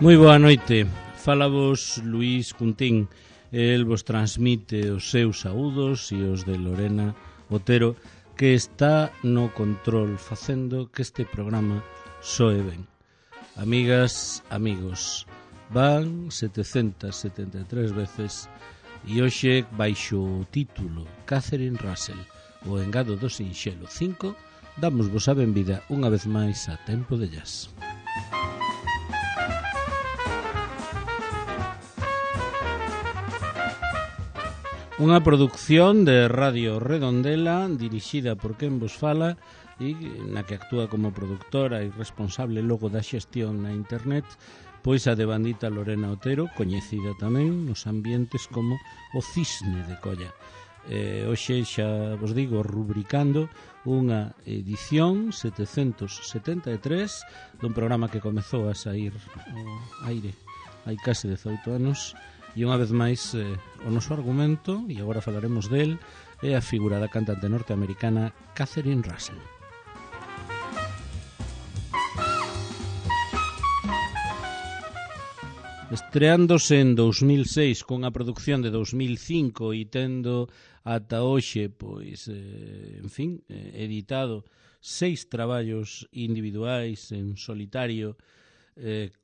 Moi boa noite, fala vos Luís Cuntín. El vos transmite os seus saúdos e os de Lorena Otero, que está no control facendo que este programa soe ben. Amigas, amigos, van 773 veces e hoxe baixo o título Catherine Russell, o engado do Sinxelo 5, damos vos a benvida unha vez máis a Tempo de Jazz. Unha produción de Radio Redondela dirixida por quen vos fala e na que actúa como produtora e responsable logo da xestión na internet, pois a devandita Lorena Otero, coñecida tamén nos ambientes como o Cisne de Colla. Hoxe xa vos digo, rubricando unha edición 773 dun programa que comezou a sair ao aire hai case 18 anos. E unha vez máis o noso argumento, e agora falaremos del, é a figura da cantante norteamericana Catherine Russell. Estreándose en 2006 con a producción de 2005 e tendo ata hoxe, pois, editado 6 traballos individuais en solitario,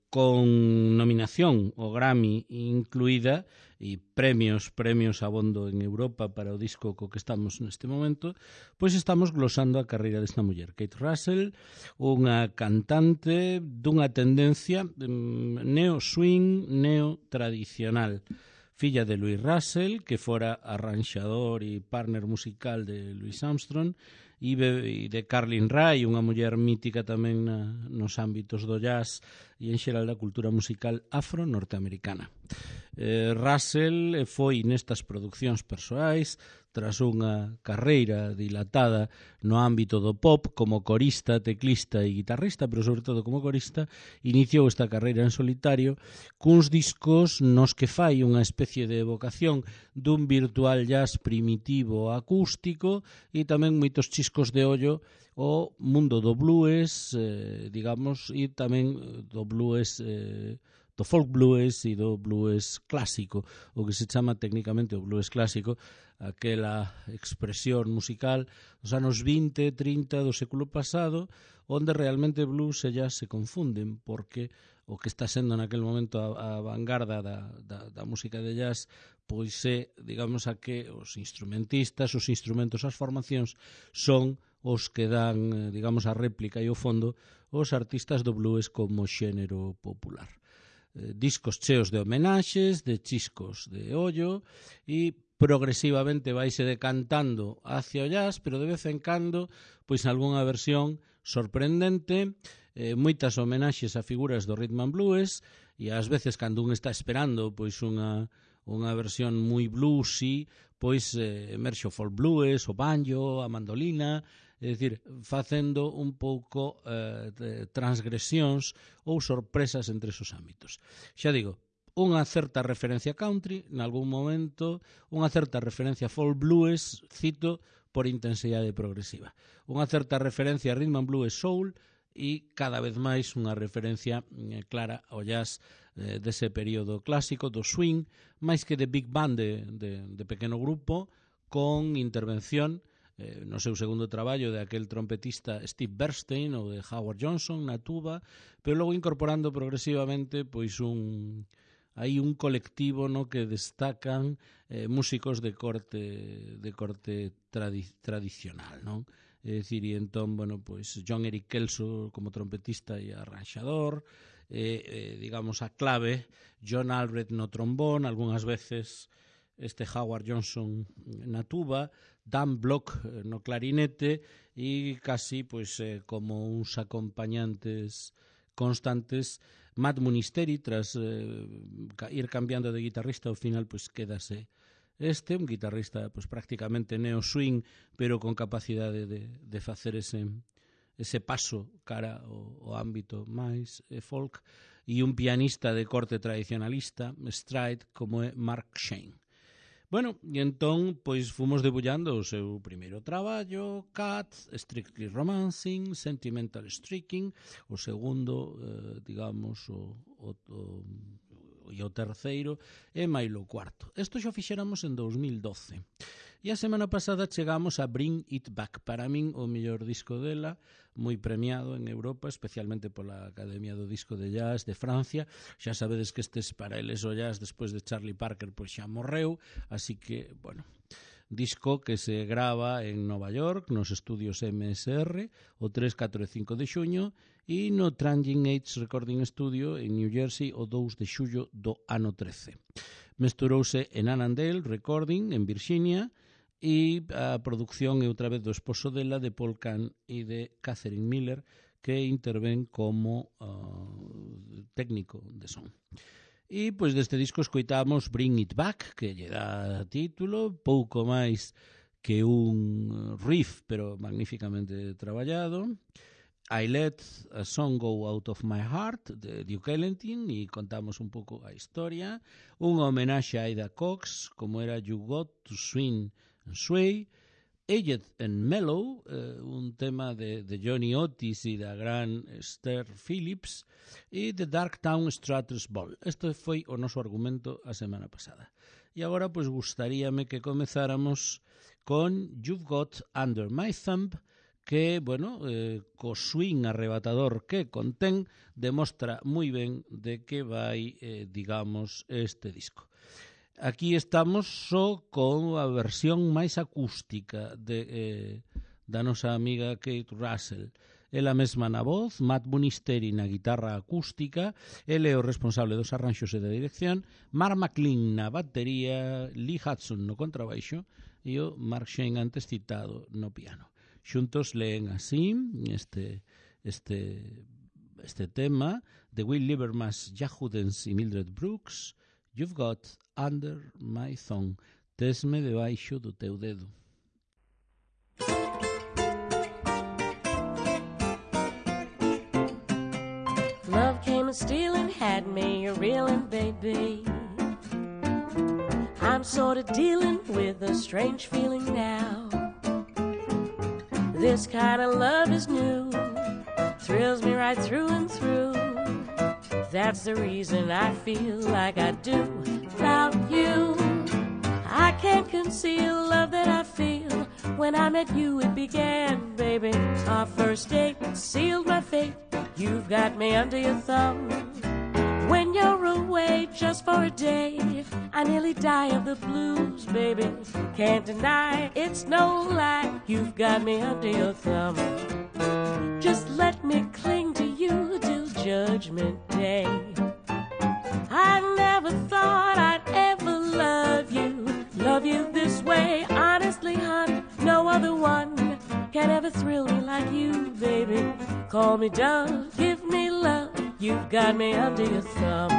con nominación ao Grammy incluída e premios abondo en Europa para o disco co que estamos neste momento, pois estamos glosando a carreira desta muller, Kate Russell, unha cantante dunha tendencia neo-swing, neo-tradicional, filla de Louis Russell, que fora arranxador e partner musical de Louis Armstrong, e de Carlin Rae, unha muller mítica tamén nos ámbitos do jazz e en xeral da cultura musical afro-norteamericana. Russell foi nestas produccións persoais, tras unha carreira dilatada no ámbito do pop como corista, teclista e guitarrista, pero sobre todo como corista, iniciou esta carreira en solitario cuns discos nos que fai unha especie de evocación dun virtual jazz primitivo acústico e tamén moitos chiscos de ollo o mundo do blues, digamos, e tamén do blues, do folk blues e do blues clásico, o que se chama técnicamente o blues clásico, aquela expresión musical dos anos 20, 30 do século pasado, onde realmente blues e jazz se confunden, porque o que está sendo naquel momento a vanguarda da música de jazz, pois é, digamos, a que os instrumentistas, os instrumentos, as formacións son os que dan, digamos, a réplica e o fondo os artistas do blues como xénero popular. Discos cheos de homenaxes, de chiscos de ollo e progresivamente vaise decantando hacia o jazz, pero de vez en cando, pois algunha versión sorprendente, moitas homenaxes a figuras do rhythm and blues e ás veces cando un está esperando pois unha versión moi bluesy, pois emerxe o folk blues, o banjo, a mandolina, é dicir, facendo un pouco transgresións ou sorpresas entre esos ámbitos. Xa digo, unha certa referencia country, nalgún momento, unha certa referencia folk blues, cito, por intensidade progresiva. Unha certa referencia a rhythm and blues soul e cada vez máis unha referencia clara ao jazz dese período clásico, do swing, máis que de big band de pequeno grupo, con intervención no seu segundo traballo de aquel trompetista Steve Bernstein ou de Howard Johnson na tuba, pero logo incorporando progresivamente pois un colectivo no que destacan músicos de corte tradicional, non? É dicir, e entón, bueno, pois John Eric Kelso como trompetista e arranxador, digamos a clave, John Albrecht no trombón, algunhas veces este Howard Johnson na tuba, Dan Block no clarinete e casi pois como uns acompañantes constantes. Matt Munisteri, tras ir cambiando de guitarrista, ao final pois quédase un guitarrista pois prácticamente neo-swing, pero con capacidade de facer ese paso cara ao ámbito máis folk, e un pianista de corte tradicionalista, stride, como é Mark Shane. Bueno, e entón, pois fomos debullando o seu primeiro traballo, Cats, Strictly Romancing, Sentimental Streaking, o segundo, digamos, e o terceiro, e mailo cuarto. Isto xa fixéramos en 2012. E a semana pasada chegamos a Bring It Back, para min o mellor disco dela, moi premiado en Europa, especialmente pola Academia do Disco de Jazz de Francia. Xa sabedes que estes paralelos o jazz despois de Charlie Parker pois xa morreu, así que, bueno, disco que se grava en Nova York, nos estudios MSR, o 3, 4 e 5 de xuño, e no Tranging Age Recording Studio en New Jersey o 2 de xullo do ano 13. Mesturouse en Annandale Recording en Virginia, e a producción é outra vez do esposo dela, de Paul Kahn e de Catherine Miller, que intervén como técnico de son. E pois deste disco escoitamos Bring It Back, que lle dá título, pouco máis que un riff, pero magníficamente traballado. I Let a Song Go Out of My Heart, de Duke Ellington, e contamos un pouco a historia. Unha homenaxe a Ida Cox, como era You Got to Swing and Sway. Aged and Mellow, un tema de Johnny Otis e da gran Esther Phillips, e The Dark Town Strutters Ball. Este foi o noso argumento a semana pasada. E agora, pois, gustaríame que comezáramos con You've Got Under My Thumb, que, bueno, co swing arrebatador que contén, demostra moi ben de que vai, digamos, este disco. Aquí estamos só con a versión máis acústica da nosa amiga Kate Russell. Ela mesma na voz, Matt Munisteri na guitarra acústica, ele é o responsable dos arranxos e da dirección, Mark McLean na batería, Lee Hudson no contrabaixo e o Mark Shane antes citado no piano. Xuntos leen así este tema de Will Liebermas, Jack Hudens e Mildred Brooks. You've Got Under My Thumb. Tesme debaixo do teu dedo. Love came and stealing, had me a reeling, baby. I'm sort of dealing with a strange feeling now. This kind of love is new, thrills me right through and through. That's the reason I feel like I do about you. I can't conceal love that I feel. When I met you it began, baby. Our first date sealed my fate. You've got me under your thumb. When you're away just for a day, I nearly die of the blues, baby. Can't deny it's no lie. You've got me under your thumb. Just let me cling to you till Judgment Day. I never thought I'd ever love you this way. Honestly, hon, no other one can ever thrill me like you, baby. Call me dove, give me love. You've got me under your thumb.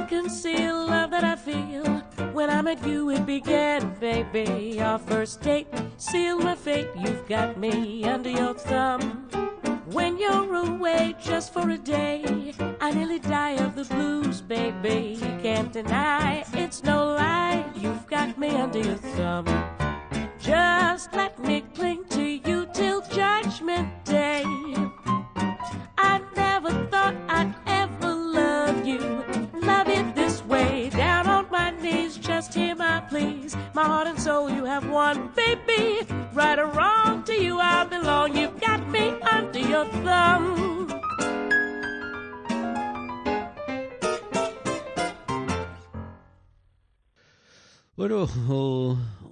Conceal love that I feel. When I met you it began, baby. Our first date sealed my fate. You've got me under your thumb. When you're away just for a day, I nearly die of the blues, baby. Can't deny it's no lie. You've got me under your thumb. Just let me cling to you till Judgment Day. I never thought I'd ever love you this way. Down on my knees, just hear my pleas. My heart and soul you have won, baby. Right or wrong, to you I belong. You've got me under your thumb. Bueno,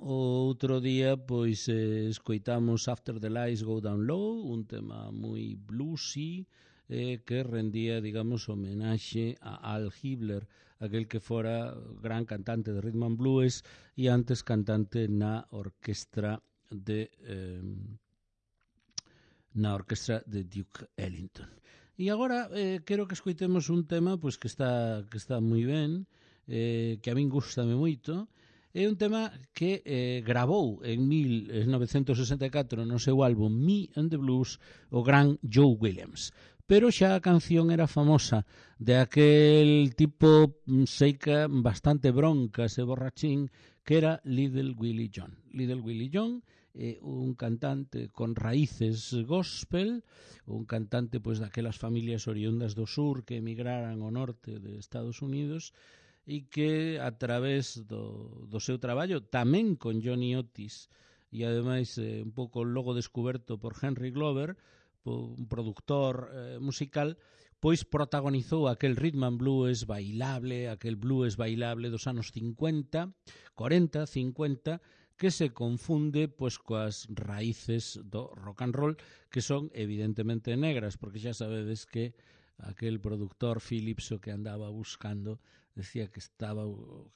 o outro día pois escoitamos After the Lights Go Down Low, un tema moi bluesy, que rendía, digamos, homenaxe a Al Hibbler, aquel que fora gran cantante de rhythm and blues e antes cantante na orquestra de Duke Ellington. E agora quero que escoitemos un tema pois que está moi ben, que a min gustame moito. É un tema que gravou en 1964 no seu álbum Me and the Blues o gran Joe Williams. Pero xa a canción era famosa de aquel tipo seica bastante broncas e borrachín que era Little Willie John. Little Willie John é un cantante con raíces gospel, un cantante pois daquelas familias oriundas do sur que emigraran ao norte de Estados Unidos e que a través do seu traballo tamén con Johnny Otis e ademais un pouco logo descoberto por Henry Glover, un productor musical, pois protagonizou aquel rhythm and blues bailable, aquel blues bailable dos anos 50, 40, 50, que se confunde pois coas raíces do rock and roll, que son evidentemente negras, porque xa sabedes que aquel productor Phillips o que andaba buscando, decía que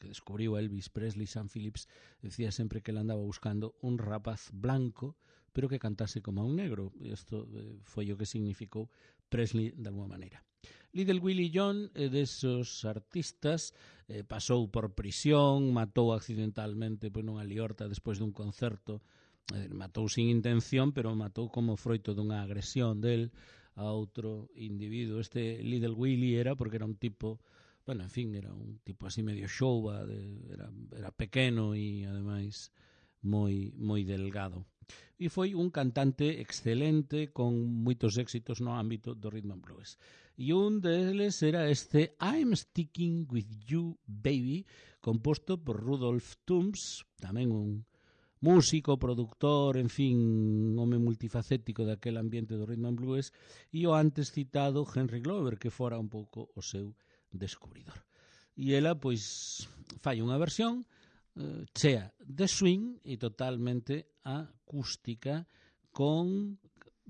descubriu Elvis Presley, Sam Phillips, decía sempre que ele andaba buscando un rapaz blanco, pero que cantase como un negro. Isto foi o que significou Presley de alguma maneira. Little Willie John é desos artistas, pasou por prisión, matou accidentalmente nunha liorta despois dun concerto, matou sin intención, pero matou como froito dunha agresión del a outro individuo. Este Little Willie era porque era un tipo, bueno, en fin, era un tipo así medio xouba, era pequeno e ademais moi delgado. E foi un cantante excelente con moitos éxitos no ámbito do rhythm and blues. E un deles era este I'm Sticking With You Baby, composto por Rudolph Toombs, tamén un músico, productor, en fin, home multifacético daquele ambiente do rhythm and blues, e o antes citado Henry Glover, que fora un pouco o seu descubridor. E ela, pois, fai unha versión chea de swing e totalmente acústica con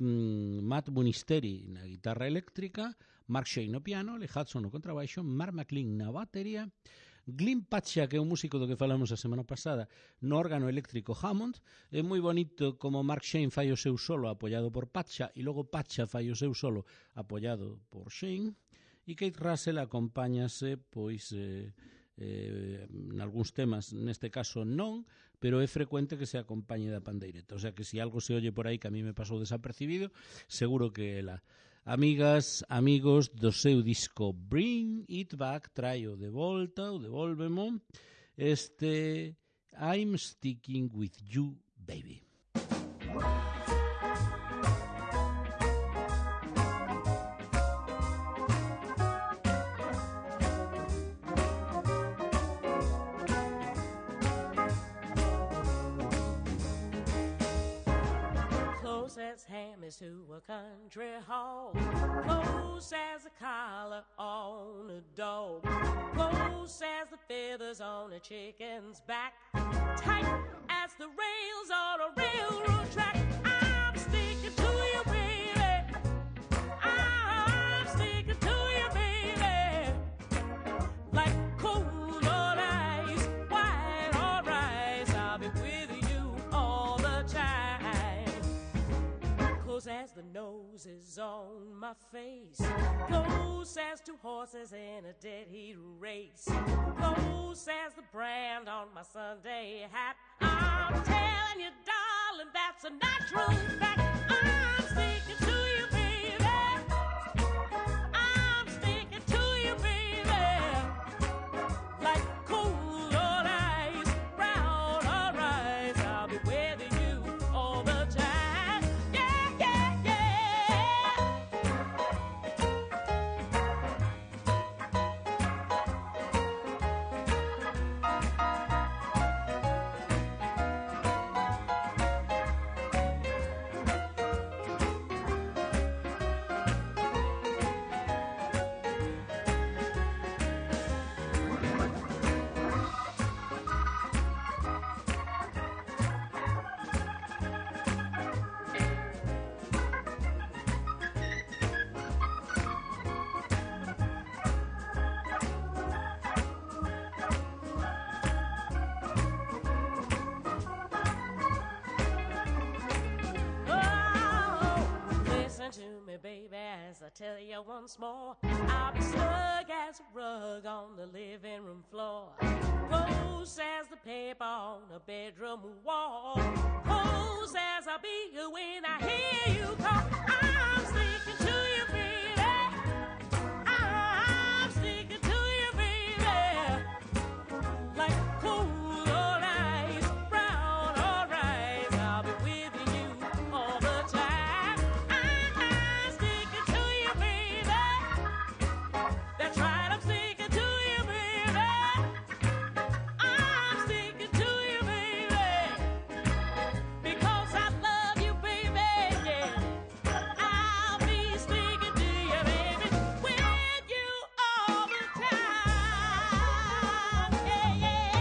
Matt Munisteri na guitarra eléctrica, Mark Shane no piano, Lee Hudson no contrabaixo, Mark McLean na batería, Glyn Pacha, que é un músico do que falamos a semana pasada, no órgano eléctrico Hammond. É moi bonito como Mark Shane fai o seu solo apoiado por Pacha e logo Pacha fai o seu solo apoiado por Shane, e Kate Russell acompáñase pois en algúns temas, neste caso non, pero é frecuente que se acompañe da pandeireta, o sea que se algo se oye por aí que a mí me pasou desapercibido, seguro que ela. Amigas, amigos, do seu disco Bring It Back, traio de volta, ou devolvemo, este I'm Sticking With You, Baby. As ham is to a country hog, close as a collar on a dog, close as the feathers on a chicken's back, tight as the rails on a railroad track. I'm sticking to you, baby. I'm sticking to you, baby. Like cold on ice, white on rice, I'll be with you all the time. Close as the nose is on my face, close as two horses in a dead heat race, close as the brand on my Sunday hat. I'm telling you, darling, that's a natural fact. I'm sticking to you, baby. I'm sticking to you, baby. Like cold on ice, brown on rice, I'll be with you all the time. I tell you once more, I'll be snug as a rug on the living room floor, close as the paper on a bedroom wall, close as I'll be when I hear you call. I'm sticking to you, baby. I'm sticking to you, baby. Like cold or ice, brown or rice, I'll be with you all the time. I'm sticking to you, baby. That's right, I'm sticking to you, baby. I'm sticking to you, baby. Because I love you, baby, yeah. I'll be sticking to you, baby, with you all the time. Yeah, yeah.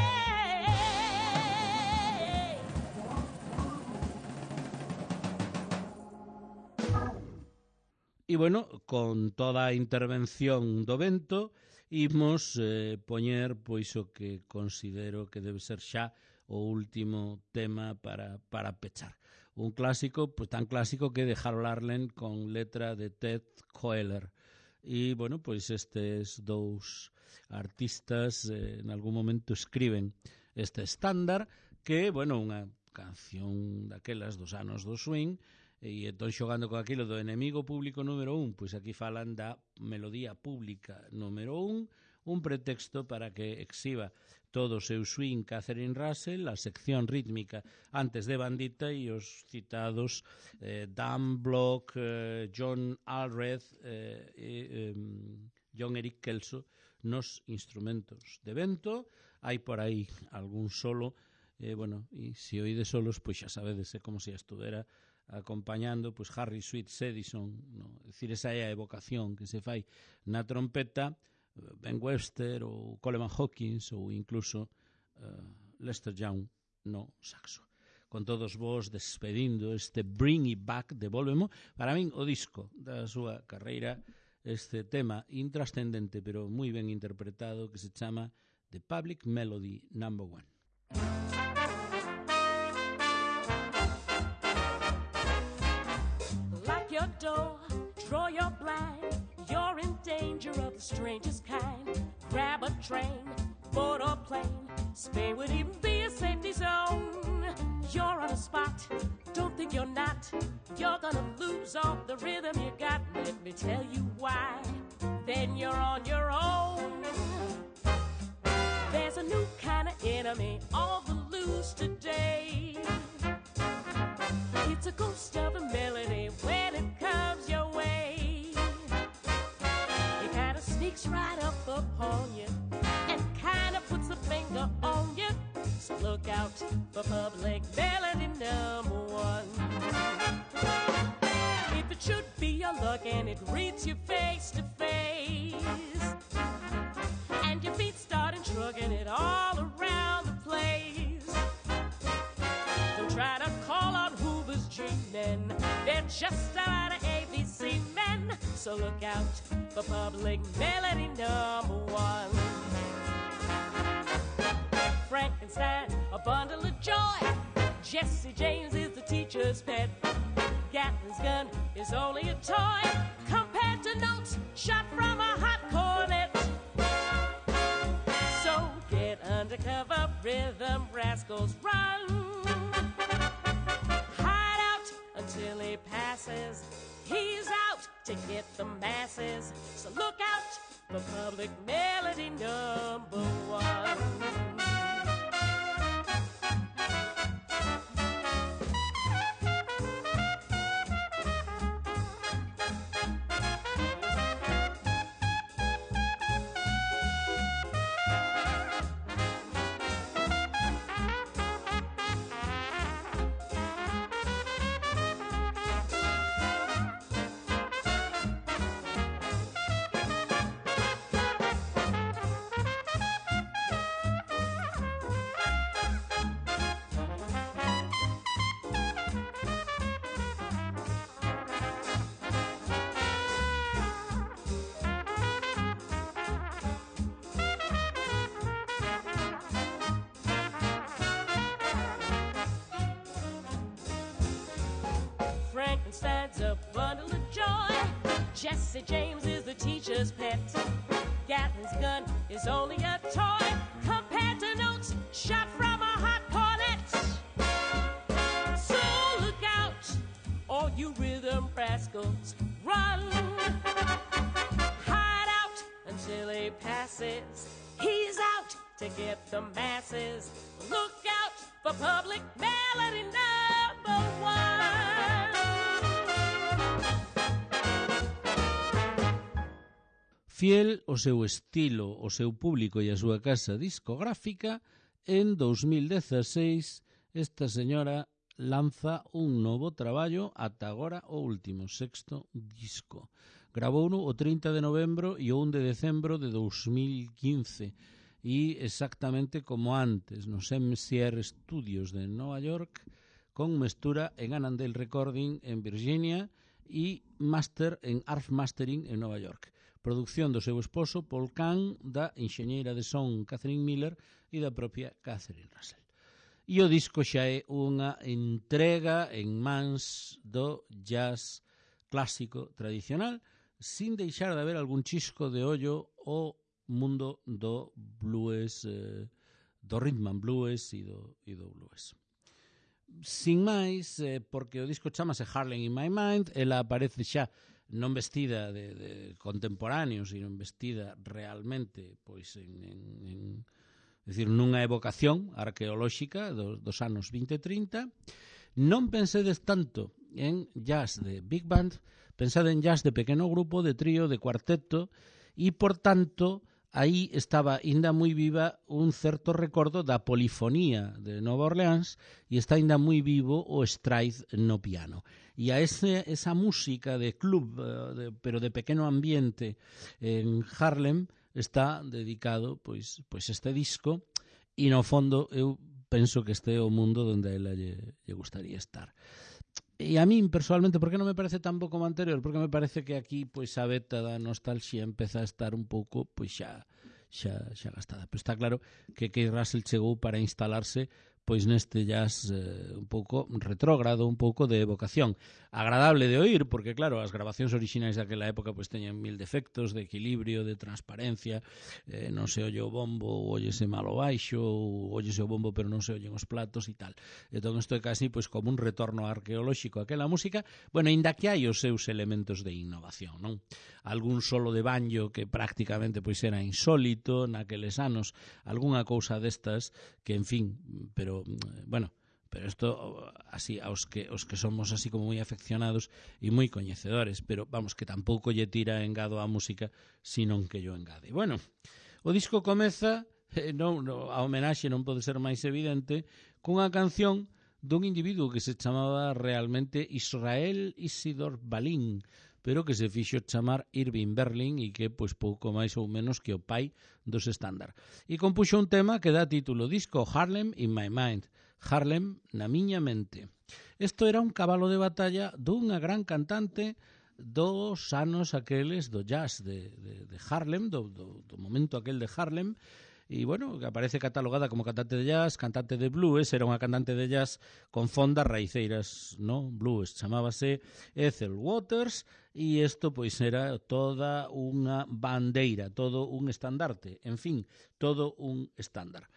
E, bueno, con toda a intervención do vento, imos poñer pois o que considero que debe ser xa o último tema para pechar. Un clásico, pois tan clásico que de Harold Arlen con letra de Ted Koehler. E, bueno, pois estes dous artistas en algún momento escriben este estándar que, bueno, unha canción daquelas dos anos do swing, e entón xogando con aquilo do enemigo público número 1, pois aquí falan da melodía pública número 1, un pretexto para que exhiba todo o seu swing Catherine Russell, a sección rítmica antes de Bandita e os citados Dan Block, John Allred e John Eric Kelso nos instrumentos de vento. Hai por aí algún solo, bueno, e se oíde solos, pois xa sabedes, como se estuvera acompañando pois Harry Sweet Edison, no? É dicir, esa é a evocación que se fai na trompeta, Ben Webster ou Coleman Hawkins ou incluso Lester Young no saxo. Con todos vos despedindo este Bring It Back, devolvemo, para min o disco da súa carreira, este tema intrascendente pero moi ben interpretado que se chama The Public Melody No. 1. Your door, draw your blind. You're in danger of the strangest kind. Grab a train, board or plane. Spain would even be a safety zone. You're on a spot, don't think you're not. You're gonna lose all the rhythm you got. Let me tell you why. Then you're on your own. There's a new kind of enemy on the loose today. It's a ghost of a melody when it comes your way. It kind of sneaks right up upon you and kind of puts a finger on you. So look out for Public Melody No. 1. If it should be your luck and it reads you face to face, and your feet start shrugging it all around the place, don't try to call on Hoover's G-men. They're just out of ABC men. So look out for Public Melody No. 1. Frankenstein, a bundle of joy. Jesse James is the teacher's pet. Gatlin's gun is only a toy compared to notes shot from a hot cornet. So get undercover, rhythm rascals, run. Until he passes, he's out to get the masses. So look out for Public Melody No. 1. It's a bundle of joy. Jesse James is the teacher's pet. Gatlin's gun is only a toy compared to notes shot from a hot cornet. So look out, all you rhythm rascals, run. Hide out until he passes. He's out to get the masses. Look out for public melody #1. Fiel ao seu estilo, ao seu público e a súa casa discográfica, en 2016 esta señora lanza un novo traballo, ata agora o último, sexto disco. Gravouno o 30 de novembro e o 1 de decembro de 2015 e exactamente como antes, nos MCR Studios de Nova York, con mestura en Annandale Recording en Virginia e master en Arf Mastering en Nova York. Producción do seu esposo Paul Kahn, da enxeñeira de son Catherine Miller e da propia Catherine Russell. E o disco xa é unha entrega en mans do jazz clásico tradicional, sin deixar de haber algún chisco de ollo ao mundo do blues, do rhythm and blues e do blues. Sin máis, porque o disco chamase Harlem in My Mind, ela aparece xa non vestida de contemporáneo, sino vestida realmente pois decir, nunha evocación arqueolóxica dos anos 20 e 30. Non pensedes tanto en jazz de big band, pensade en jazz de pequeno grupo, de trío, de cuarteto, e, por tanto, aí estaba ainda moi viva un certo recordo da polifonía de Nova Orleans e está ainda moi vivo o stride no piano. E a esa música de club, pero de pequeno ambiente en Harlem, está dedicado pois este disco, e no fondo eu penso que este é o mundo onde a ela lle gustaría estar. E a min, personalmente, por que non me parece tan bo como anterior? Porque me parece que aquí pois a beta da nostalxia empeza a estar un pouco pois xa gastada. Pero está claro que Keith Russell chegou para instalarse pois neste jazz un pouco retrógrado, un pouco de evocación. Agradable de oír, porque claro, as grabacións orixinais daquela época pois teñen mil defectos de equilibrio, de transparencia, non se oye o bombo, ou óyese mal o baixo, ou óyese o bombo pero non se oyen os platos e tal. Entón isto é casi pois como un retorno arqueolóxico a aquela música, bueno, ainda que hai os seus elementos de innovación, non? Algún solo de banjo que prácticamente pois era insólito naqueles anos, algunha cousa destas que, en fin, pero isto así aos que somos así como moi afeccionados e moi coñecedores, pero vamos, que tampouco lle tira engado á música, senón que yo engade. Bueno, o disco comeza, a homenaxe non pode ser máis evidente, cunha canción dun individuo que se chamaba realmente Israel Isidor Balin, pero que se fixo chamar Irving Berlin e que pois pouco máis ou menos que o pai dos estándar. E compuxo un tema que dá título disco, Harlem in My Mind, Harlem na miña mente. Isto era un cabalo de batalla dunha gran cantante dos anos aqueles do jazz de Harlem, do momento aquel de Harlem, e, bueno, que aparece catalogada como cantante de jazz, cantante de blues, era unha cantante de jazz con fondas raiceiras, no? Blues, chamábase Ethel Waters, e isto pois era toda unha bandeira, todo un estandarte, en fin, todo un estándar.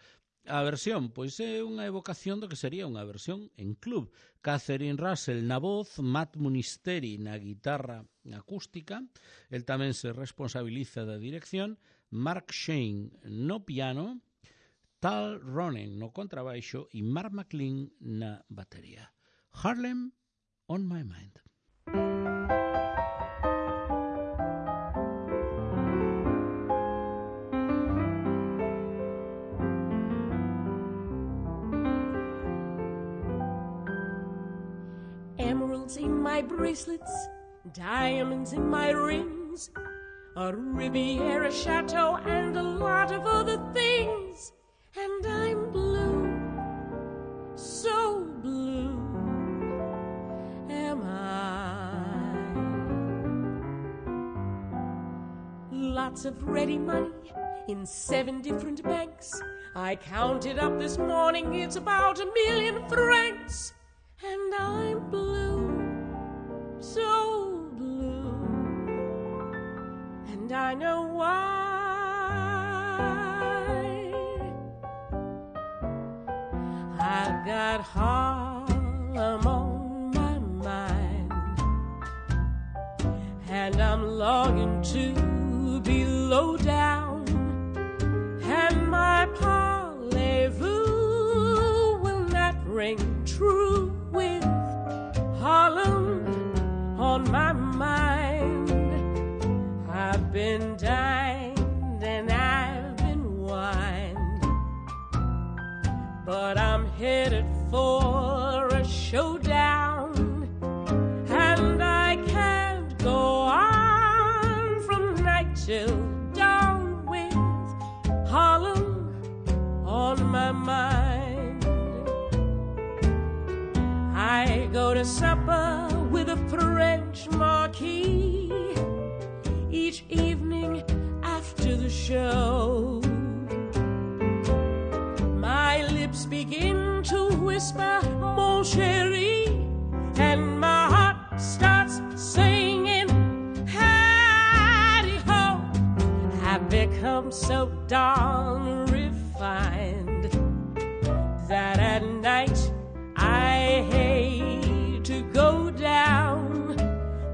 A versión, pois é unha evocación do que sería unha versión en club. Catherine Russell na voz, Matt Munisteri na guitarra acústica, el tamén se responsabiliza da dirección, Mark Shane no piano, Tal Ronen no contrabaixo e Mark McLean na batería. Harlem on My Mind. Emeralds in my bracelets, diamonds in my rings, a Riviera chateau and a lot of other things. And I'm blue, so blue am I. Lots of ready money in 7 different banks. I counted up this morning, it's about 1 million francs. And I'm blue, so I know why. I've got Harlem on my mind, and I'm longing to be low down, and my parlez-vous will not ring true with Harlem on my mind. I've been dined and I've been wined, but I'm headed for a showdown, and I can't go on from night till dawn with Harlem on my mind. I go to supper with a French marquis each evening after the show. My lips begin to whisper, mon chéri, and my heart starts singing, hidey-ho. I've become so darn refined that at night I hate to go down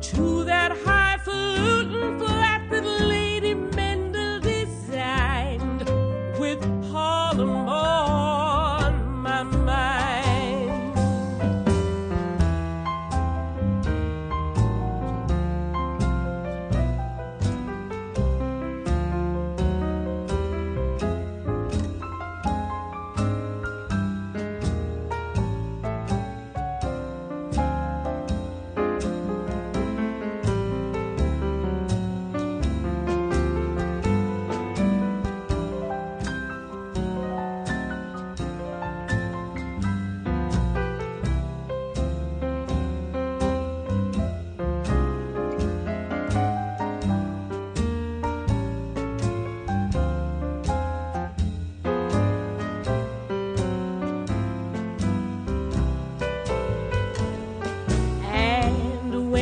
to that highfalutin flat that Lady Mendel designed, with Harlem on my mind.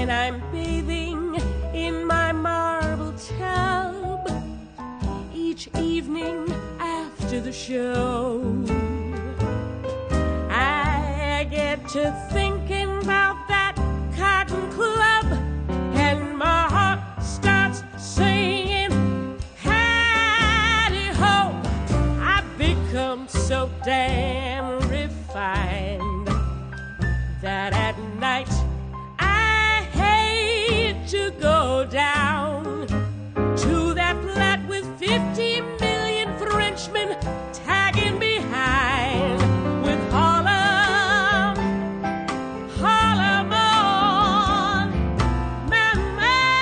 I'm bathing in my marble tub each evening after the show. I get to thinking about that Cotton Club, and my heart starts singing, hidey-ho. I've become so damn refined that at night to go down to that flat with 50 million Frenchmen tagging behind, with Harlem, Harlem on my mind.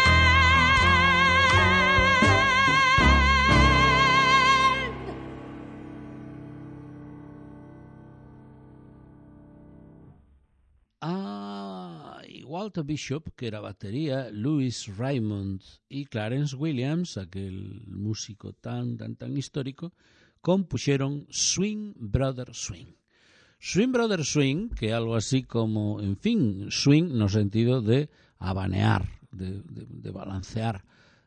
Walter Bishop, que era batería, Louis Raymond y Clarence Williams, aquel músico tan histórico, compuxeron Swing Brother Swing. Swing Brother Swing, que é algo así como, en fin, swing no sentido de abanear, de balancear,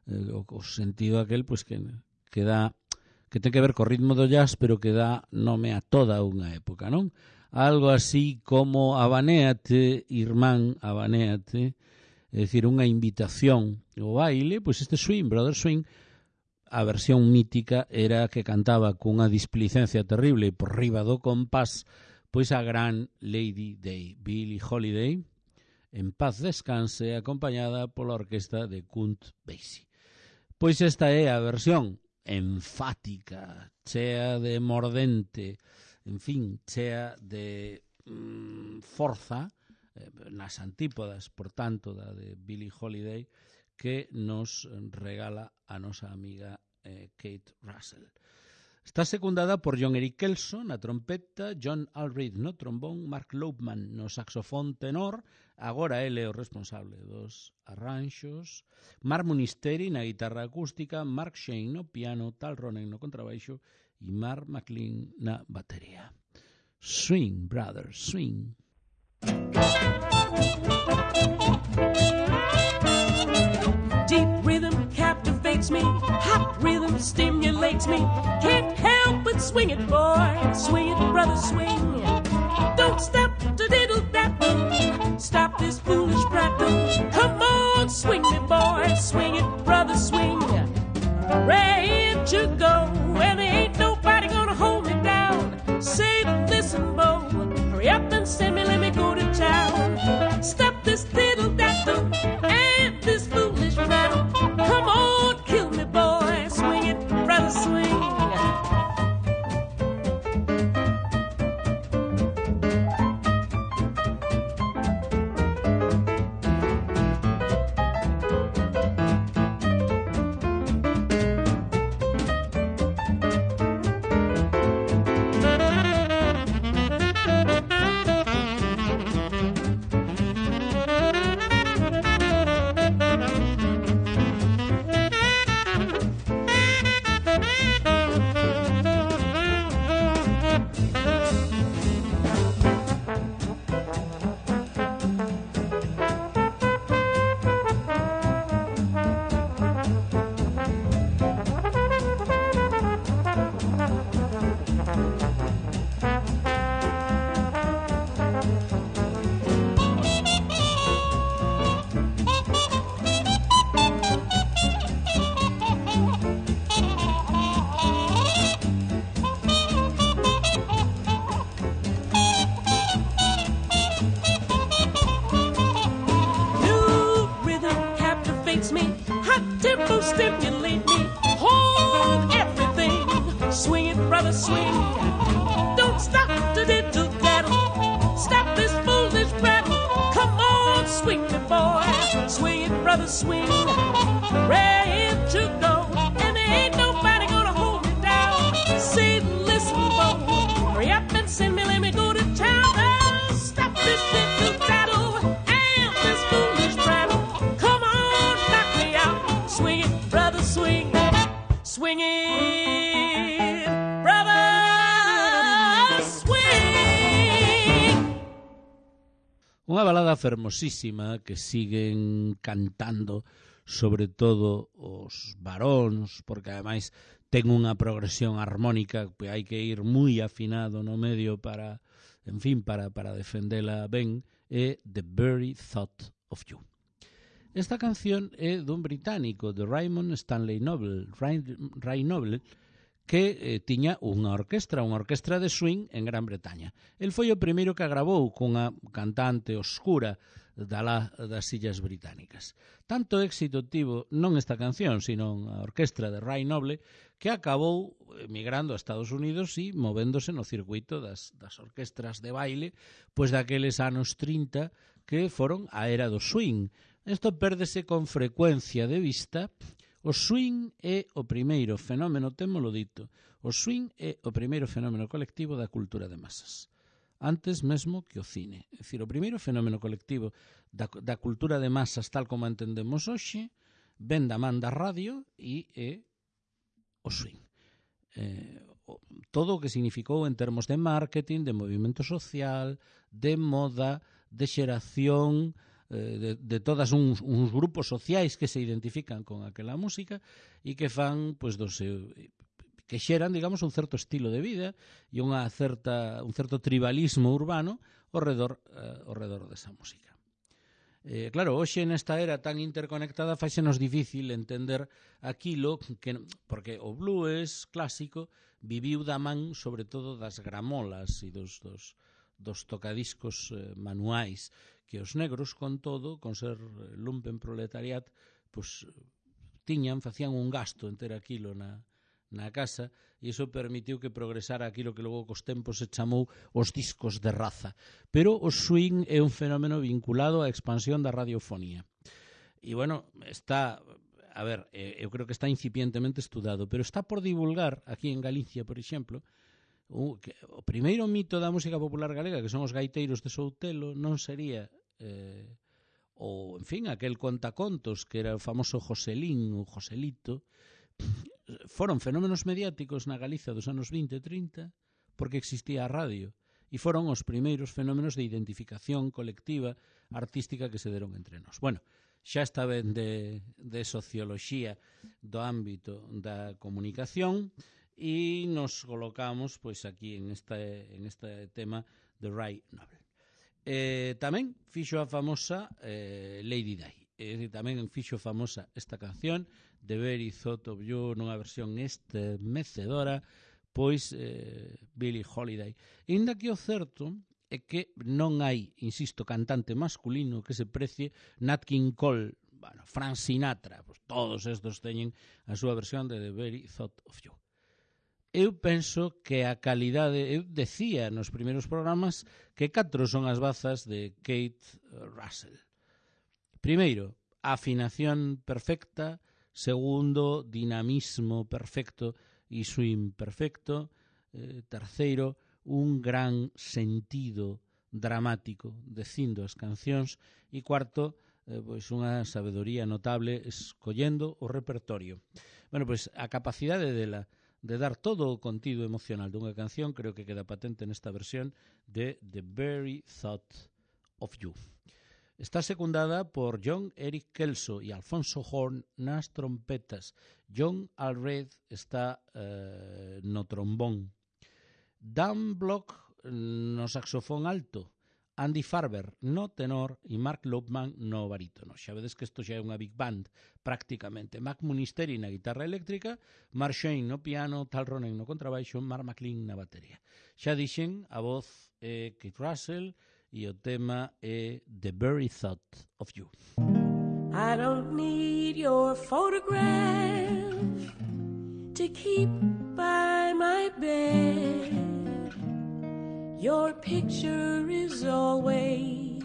o sentido aquel pues que ten que ver co ritmo do jazz, pero que dá nome a toda unha época, non? Algo así como abanéate, irmán, abanéate, é dicir, unha invitación ao baile. Pois este Swing, Brother Swing, a versión mítica era que cantaba cunha displicencia terrible por riba do compás, pois a gran Lady Day, Billie Holiday, en paz descanse, acompañada pola orquesta de Count Basie. Pois esta é a versión enfática, chea de mordente, en fin, chea de forza, nas antípodas, por tanto, da de Billie Holiday, que nos regala a nosa amiga Kate Russell. Está secundada por John Eric Kelso na trompeta, John Allred no trombón, Mark Lopeman no saxofón tenor, agora ele é o responsable dos arranxos, Mark Munisteri na guitarra acústica, Mark Shane no piano, Tal Ronen no contrabaixo e Mark McLean na batería. Swing, brother, swing. Deep rhythm captivates me, stimulates me. Can't help but swing it, boy. Swing it, brother, swing. Don't stop to diddle that. Stop this foolish prattle. Come on, swing me, boy. Swing it, brother, swing. Ready to go, and there ain't nobody gonna hold me down. Say, listen, Bo, hurry up and send me, let me go to town. Stop this diddle-daddle and this foolish rattle. Come on, kill me, boy. Swing it, brother, swing. Stimulate me, hold everything. Swing it, brother, swing. Don't stop to diddle daddle. Stop this foolish prattle. Come on, swing me, boy. Swing it, brother, swing. Ready to go, and there ain't nobody gonna hold me down. Say, listen, Bo, hurry up and send me, let me go to town. Stop this diddle daddle and this foolish prattle. Come on, knock me out. Swing it, brother, swing. Swing it, brother, swing. Unha balada fermosísima que siguen cantando sobre todo os varóns, porque ademais ten unha progresión armónica que hai que ir moi afinado no medio para, en fin, para defendela ben, é The Very Thought of You. Esta canción é dun británico, de Raymond Stanley Noble, Ray Noble, que tiña unha orquestra de swing en Gran Bretaña. El foi o primeiro que a gravou cunha cantante oscura das Illas Británicas. Tanto éxito tivo non esta canción, sino a orquestra de Ray Noble, que acabou emigrando a Estados Unidos e movéndose no circuito das orquestras de baile, pois daqueles anos 30 que foron a era do swing. Isto pérdese con frecuencia de vista. O swing é o primeiro fenómeno, témolo dito, o swing é o primeiro fenómeno colectivo da cultura de masas. Antes mesmo que o cine. É dicir, o primeiro fenómeno colectivo da cultura de masas tal como entendemos hoxe ven da man da radio e é o swing. Todo o que significou en termos de marketing, de movimento social, de moda, de xeración, de todas uns grupos sociais que se identifican con aquela música e que fan, pois, que xeran, digamos, un certo estilo de vida e un certo tribalismo urbano ao redor desa música. Claro, hoxe nesta era tan interconectada faixenos difícil entender aquilo que, porque o blues clásico viviu da man sobre todo das gramolas e dos tocadiscos manuais que os negros, con todo, con ser lumpen proletariat, pois facían un gasto en ter aquilo na casa, e iso permitiu que progresara aquilo que logo cos tempos se chamou os discos de raza. Pero o swing é un fenómeno vinculado á expansión da radiofonía. E, bueno, eu creo que está incipientemente estudado, pero está por divulgar, aquí en Galicia, por exemplo, o primeiro mito da música popular galega, que son os gaiteiros de Soutelo, non sería en fin, aquel contacontos que era o famoso Joselín, o Joselito. Foron fenómenos mediáticos na Galicia dos anos 20 e 30 porque existía a radio e foron os primeiros fenómenos de identificación colectiva artística que se deron entre nós. Bueno, xa está ben de socioloxía do ámbito da comunicación, e nos colocamos pois aquí en este tema de Ray Noble. Tamén fixo a famosa Lady Di, tamén fixo famosa esta canción The Very Thought of You, nunha versión estremecedora, pois Billie Holiday. E ainda que o certo é que non hai, insisto, cantante masculino que se precie Nat King Cole, Frank Sinatra, pois todos estos teñen a súa versión de The Very Thought of You. Eu penso que a calidade, eu decía nos primeiros programas que 4 son as bazas de Kate Russell. Primeiro, afinación perfecta. Segundo, dinamismo perfecto e swing perfecto. Terceiro, un gran sentido dramático dicindo as cancións. E cuarto, pois unha sabedoría notable escollendo o repertorio. Bueno, pois a capacidade dela de dar todo o contido emocional dunha canción creo que queda patente nesta versión de The Very Thought of You. Está secundada por John Eric Kelso e Alfonso Horn nas trompetas. John Allred está no trombón. Dan Block no saxofón alto, Andy Farber no tenor e Mark Lopman no barítono. Xa vedes que isto xa é unha big band prácticamente. Mac Munisteri na guitarra eléctrica, Mark Shane no piano, Tal Ronen no contrabaixo, Mark McLean na batería. Xa dixen, a voz é Kate Russell e o tema é The Very Thought of You. I don't need your photograph to keep by my bed. Your picture is always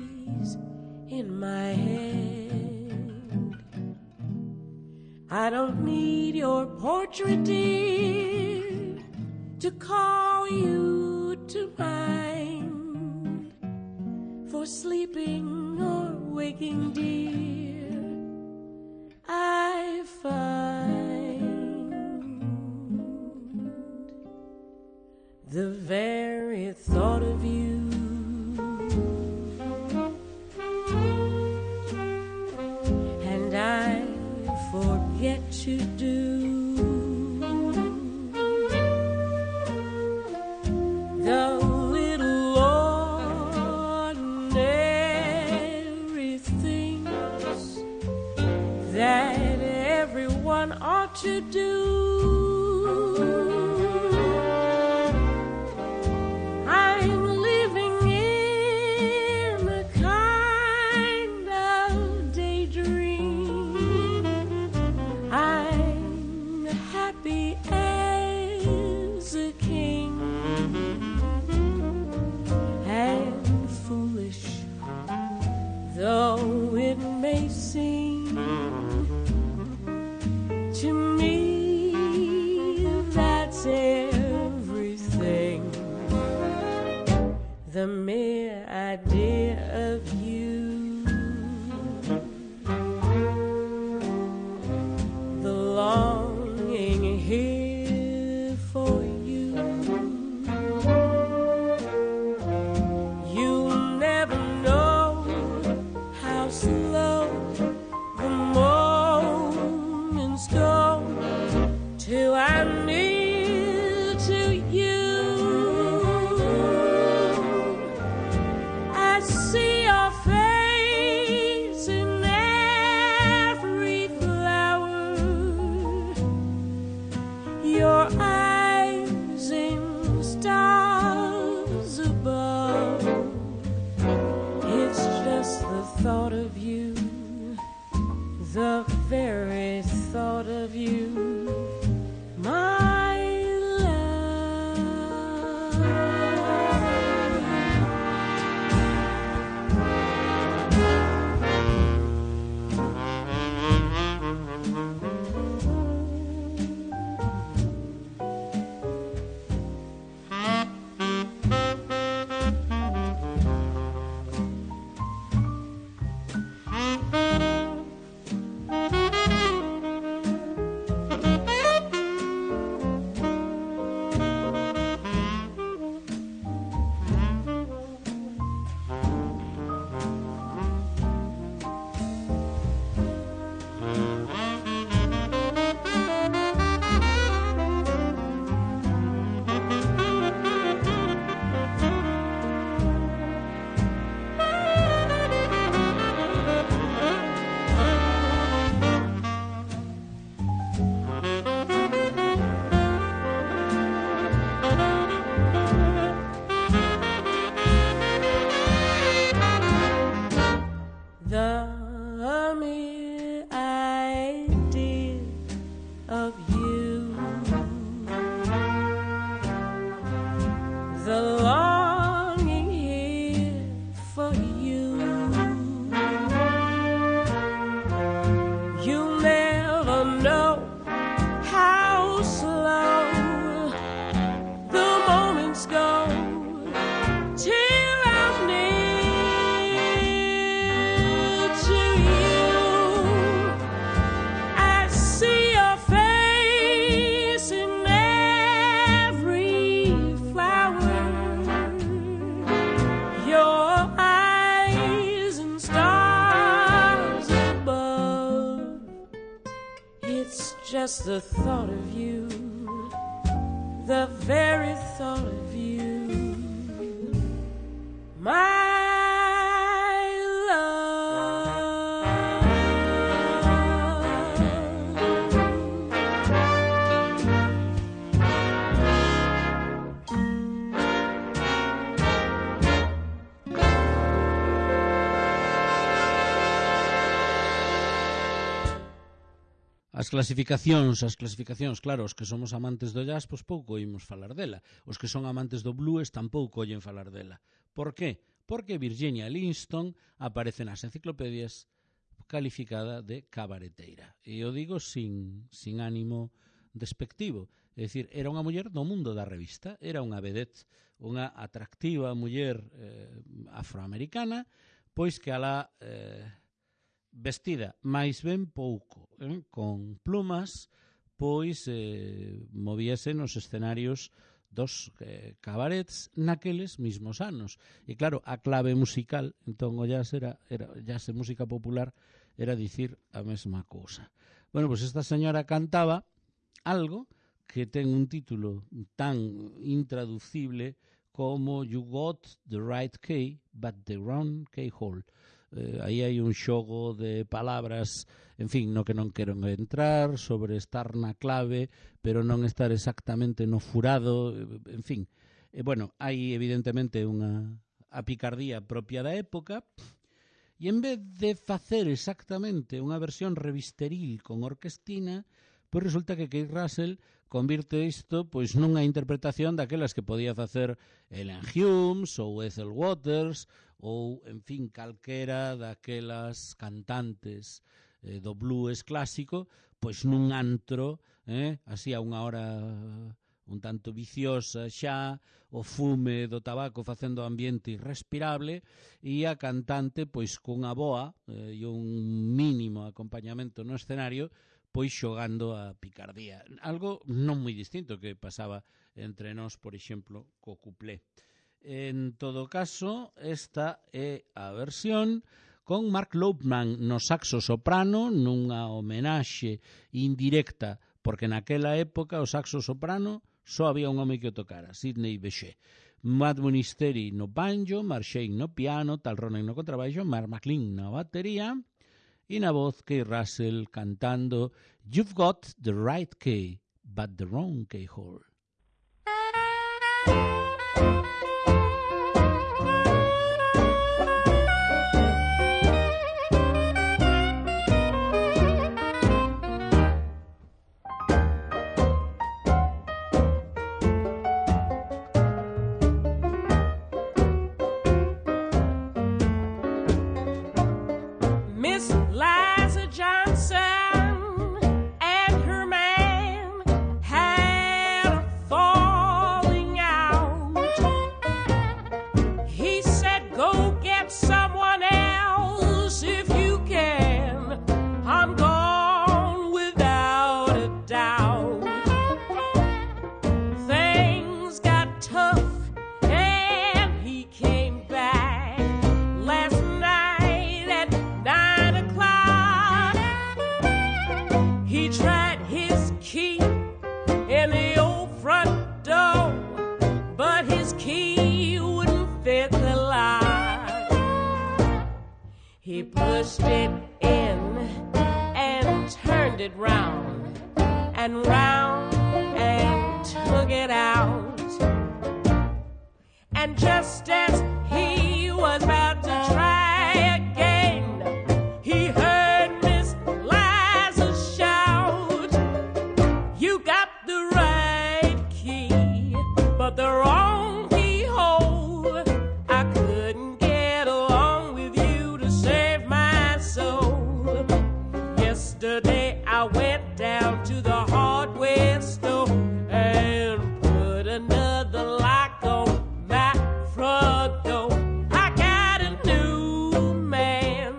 in my head. I don't need your portrait, dear, to call you to mind. For sleeping or waking, dear, I find the very thought of you and I forget to do the little ordinary things that everyone ought to do. The mere idea of you, the longing here for you. You'll never know how slow the moments go till I'm near to you. See your face in every flower, your eyes in stars above. It's just the thought of you, the very thought of you, my just the thought of you, the very thought of you, my As clasificacións, claro, os que somos amantes do jazz, pois pouco oímos falar dela. Os que son amantes do blues tampouco oyen falar dela. Por qué? Porque Virginia Livingston aparece nas enciclopedias calificada de cabareteira. E o digo sin ánimo despectivo. É dicir, era unha muller do mundo da revista, era unha vedette, unha atractiva muller afroamericana, pois que alá vestida máis ben pouco, con plumas, pois movíase nos escenarios dos cabarets naqueles mismos anos. E claro, a clave musical, entón o jazz era jazz e música popular, era dicir a mesma cousa. Bueno, pois esta señora cantaba algo que ten un título tan intraducible como You Got the Right Key, but the Wrong Keyhole. Aí hai un xogo de palabras, en fin, no que non quero entrar, sobre estar na clave, pero non estar exactamente no furado, en fin. Bueno, hai evidentemente a picardía propia da época, e en vez de facer exactamente unha versión revisteril con orquestina, pois resulta que Keith Russell convirte isto pois nunha interpretación daquelas que podía facer Ellen Humes ou Ethel Waters ou, en fin, calquera daquelas cantantes do blues clásico, pois nun antro, así a unha hora un tanto viciosa xa, o fume do tabaco facendo o ambiente irrespirable, e a cantante pois cunha boa e un mínimo acompañamento no escenario, pois xogando a picardía. Algo non moi distinto que pasaba entre nós, por exemplo, co cuplé. En todo caso, esta é a versión con Mark Laupman no saxo soprano, nunha homenaxe indirecta, porque naquela época o saxo soprano só había un home que o tocara, Sidney Bechet. Matt Monisteri no banjo, Mark Shane no piano, Tal Ronen no contrabaixo, Mark McLean na batería, e na voz Keith Russell cantando You've Got the Right Key, but the Wrong Keyhole. He pushed it in and turned it round and round and took it out. And just as he was about to try again, he heard Miss Liza shout, "You got the right key, but the wrong keyhole. I couldn't get along with you to save my soul. Yesterday I went down to the hardware store and put another lock on my front door. I got a new man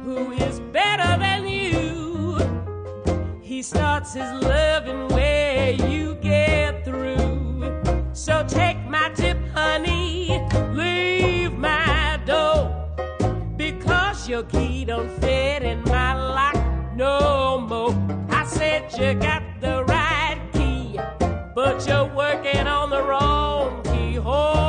who is better than you. He starts his loving where you get through. So take my tip, honey, leave my door, because your key don't fit in my lock no more. I said you got the right key, but you're working on the wrong keyhole.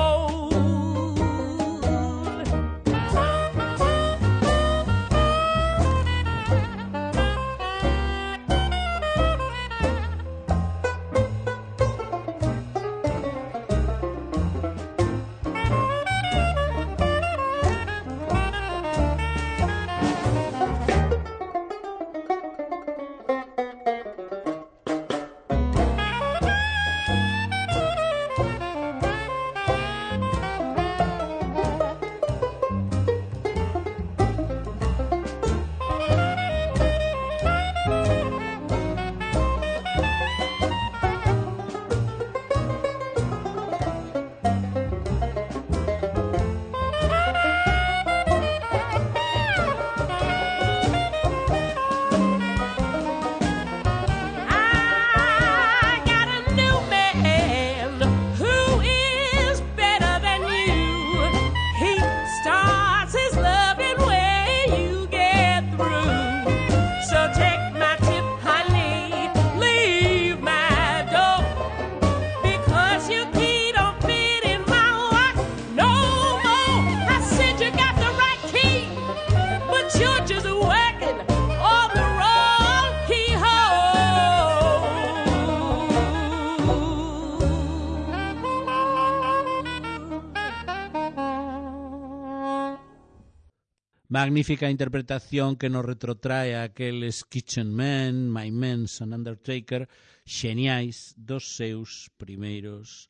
Magnífica interpretación que nos retrotrae a aqueles Kitchen Men, My Men's and Undertaker, xeniais dos seus primeiros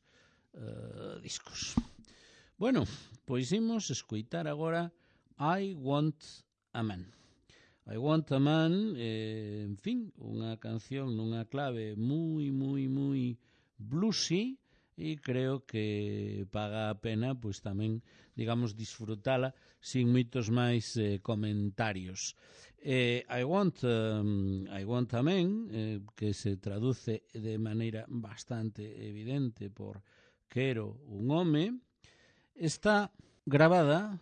discos. Bueno, pois imos escoitar agora I Want a Man. I Want a Man, en fin, unha canción nunha clave moi bluesy, e creo que paga a pena pois tamén, digamos, disfrutala sin moitos máis comentarios. I Want a Man, que se traduce de maneira bastante evidente por Quero un home, está gravada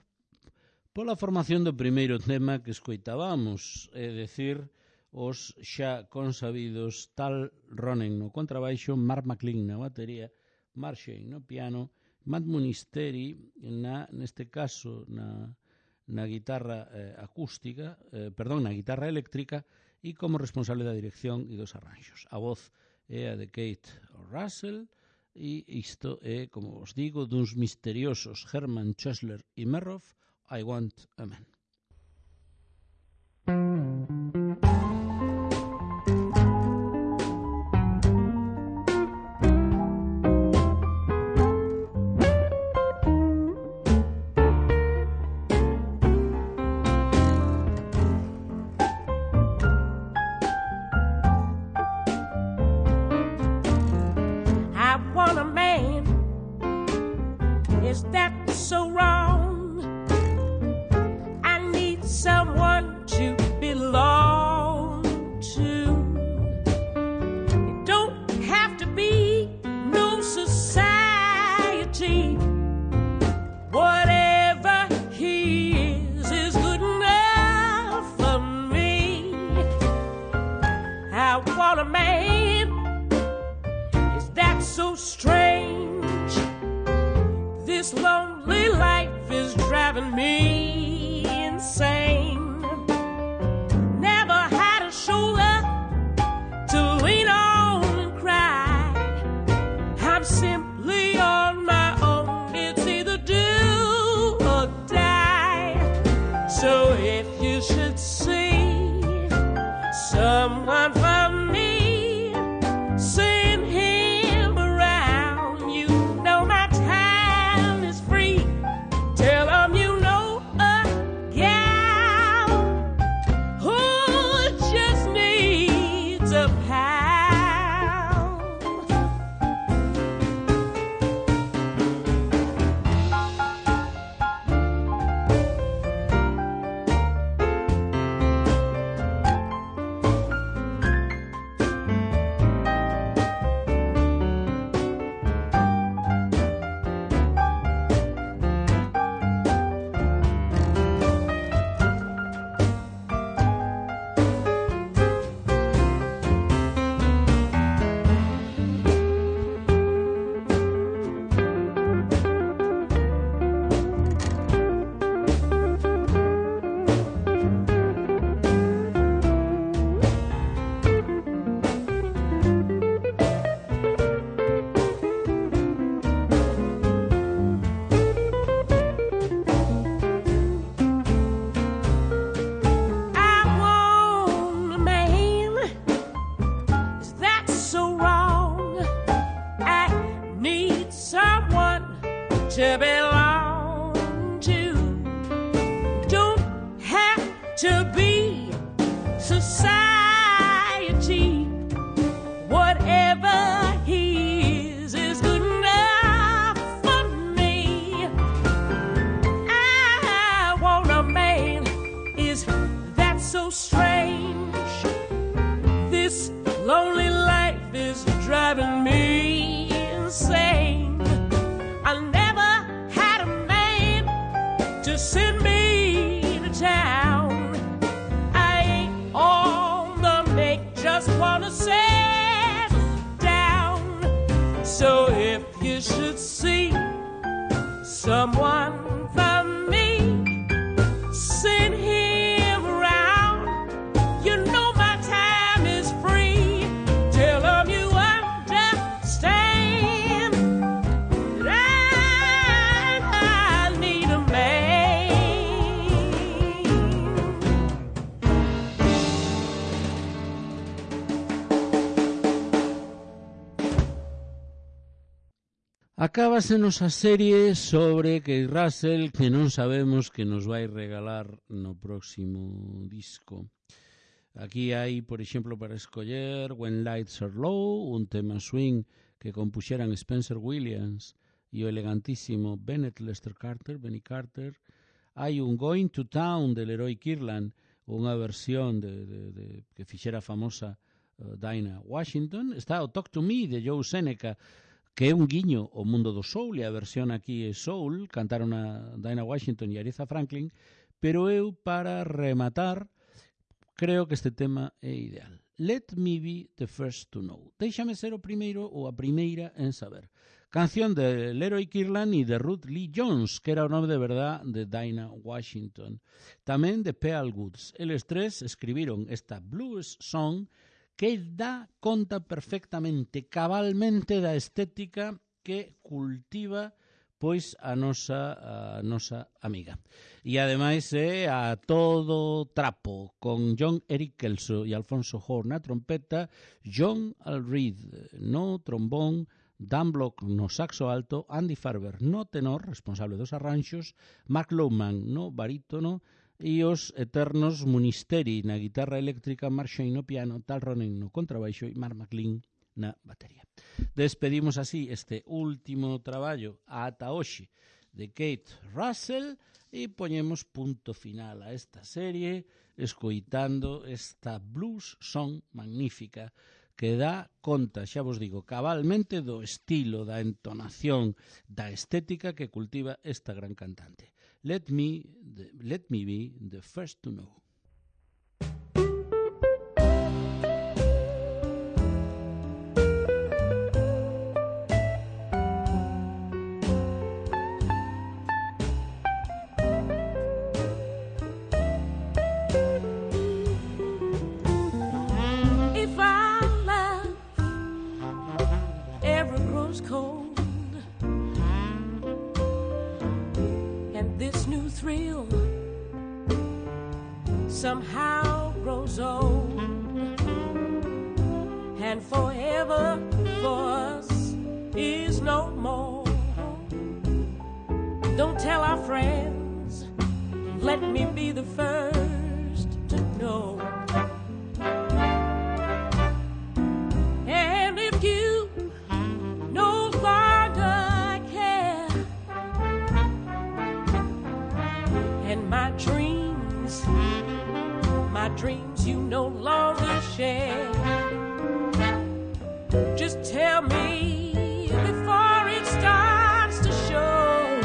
pola formación do primeiro tema que escoitábamos, é dicir, os xa consabidos Tal Ronen no contrabaixo, Mark McLean na batería, Mark Shane no piano, Matt Munisteri neste caso na guitarra acústica, na guitarra eléctrica, e como responsable da dirección e dos arranxos. A voz é a de Kate Russell, e isto é, como vos digo, duns misteriosos Herman Chesler e Merroff, I Want a Man. Is that so wrong? I need someone to belong to. It don't have to be no society. Whatever he is good enough for me. I want a man. Is that so strange? This lonely life is driving me insane. Never had a shoulder to lean on and cry. I'm simply on my own. It's either do or die. So if you should see someone for me, send him around. You know my time is free. Tell him you know a gal who just needs a pal. to belong to. Don't have to be society. Whatever he is good enough for me. I want a man, is that so strange? This lonely life is driving me insane. I never had a man to send me to town. I ain't on the make, just wanna settle down. So if you should see someone for me, send him around. You know my time is free. Tell him you understand that I need a man. Acábasenos a serie sobre Keith Russell, que non sabemos que nos vai regalar no próximo disco. Aquí hai, por exemplo, para escoller When Lights Are Low, un tema swing que compuxeran Spencer Williams e o elegantísimo Bennett Lester Carter, Benny Carter. Hai un Going to Town de Leroy Kirtland, unha versión que fixera famosa Dinah Washington. Está o Talk to Me de Joe Seneca, que é un guiño ao mundo do soul, e a versión aquí é soul, cantaron a Dinah Washington e Aretha Franklin, pero eu, para rematar, creo que este tema é ideal. Let me be the first to know. Déixame ser o primeiro ou a primeira en saber. Canción de Leroy Kirtland e de Ruth Lee Jones, que era o nome de verdad de Dinah Washington. Tamén de Pearl Woods. Eles tres escribiron esta blues song que dá conta perfectamente, cabalmente da estética que cultiva pois a nosa amiga. E ademais é a todo trapo, con John Eric Kelso e Alfonso Horn na trompeta, John Al Reed no trombón, Dan Block no saxo alto, Andy Farber no tenor, responsable dos arranxos, Mark Lowman no barítono, e os eternos Munisteri na guitarra eléctrica, Mark Shane no piano, Tal Ronen no contrabaixo e Mark McLean na batería. Despedimos así este último traballo ata hoxe de Keith Russell e poñemos punto final a esta serie escoitando esta blues song magnífica que dá conta, xa vos digo, cabalmente do estilo, da entonación, da estética que cultiva esta gran cantante. Let me be the first to know. If I laugh, every grows cold, and this new thrill somehow grows old, and forever for us is no more. Don't tell our friends, let me be the first to know. And if you no longer care, and my dreams you no longer share, just tell me before it starts to show.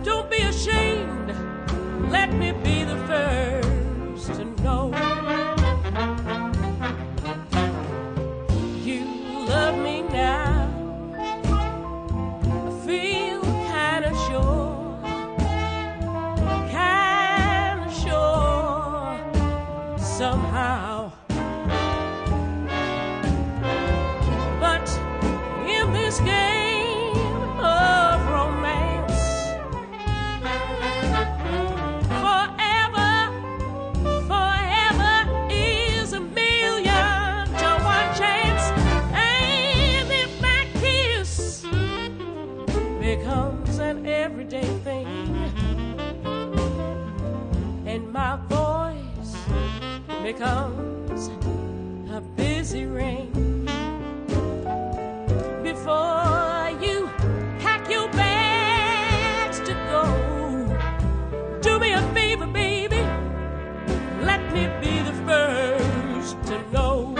Don't be ashamed, let me be the first to know. You love me now, I feel kinda sure, somehow. But in this game of romance, forever is 1,000,000 to 1 chance. And if that kiss becomes a busy ring. Before you pack your bags to go, do me a favor, baby, let me be the first to know.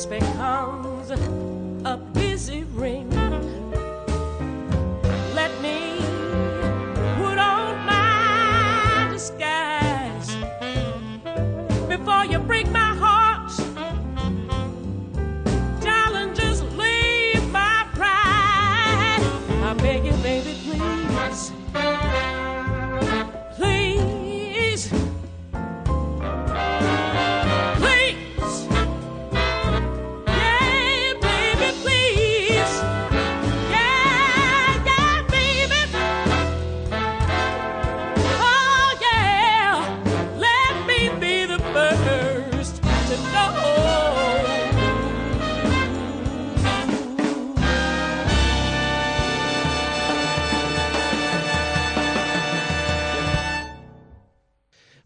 Becomes a busy ring. Let me put on my disguise before you break my heart. Darling, just leave my pride. I beg you, baby, please. Please.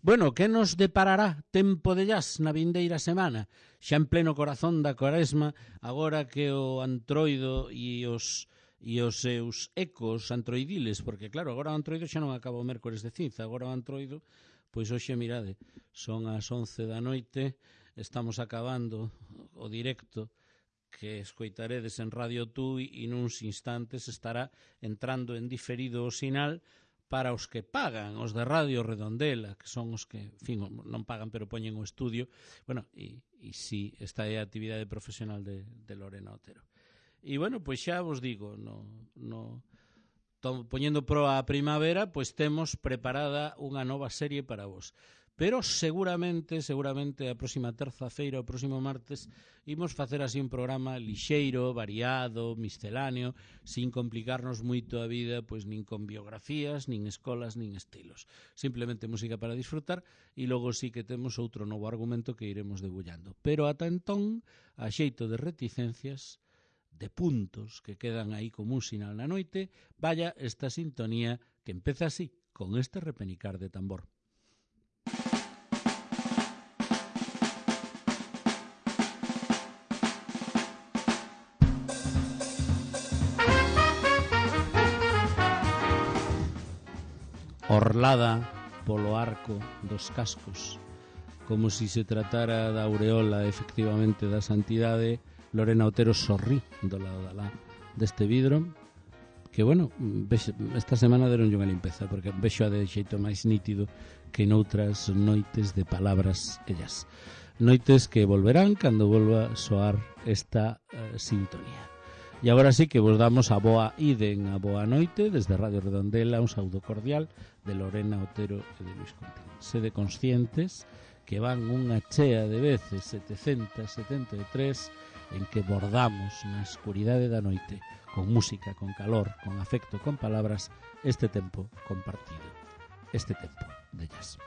Bueno, que nos deparará tempo de jazz na vindeira semana? Xa en pleno corazón da Cuaresma, agora que o antroido e os seus ecos antroidiles, porque claro, agora o antroido xa non acaba o mércores de cinza, agora o antroido, pois hoxe, mirade, son as 11 da noite, estamos acabando o directo que escoitaredes en Radio Tui e nuns instantes estará entrando en diferido o sinal para os que pagan, os de Radio Redondela, que son os que, en fin, non pagan pero poñen o estudio. Bueno, e si esta é a actividade profesional de Lorena Otero. E bueno, pois xa vos digo, poñendo pro a primavera, pois temos preparada unha nova serie para vos. Pero seguramente a próxima terza-feira, o próximo martes, imos facer así un programa lixeiro, variado, misceláneo, sin complicarnos moito a vida, pois nin con biografías, nin escolas, nin estilos. Simplemente música para disfrutar e logo sí que temos outro novo argumento que iremos debullando. Pero ata entón, a xeito de reticencias, de puntos que quedan aí como un sinal na noite, vaya esta sintonía que empeza así, con este repenicar de tambor. Orlada polo arco dos cascos, como si se tratara da aureola efectivamente da santidade, Lorena Otero sorrí do lado da lá deste vidro, que, bueno, esta semana deronlle unha limpeza, porque vexo a de xeito máis nítido que noutras noites de palabras ellas. Noites que volverán cando volva soar esta sintonía. E agora sí que vos damos a boa iden, a boa noite, desde Radio Redondela, un saúdo cordial de Lorena Otero e de Luis Contín. Sede conscientes que van unha chea de veces 773 en que bordamos na escuridade da noite con música, con calor, con afecto, con palabras este tempo compartido, este tempo de jazz.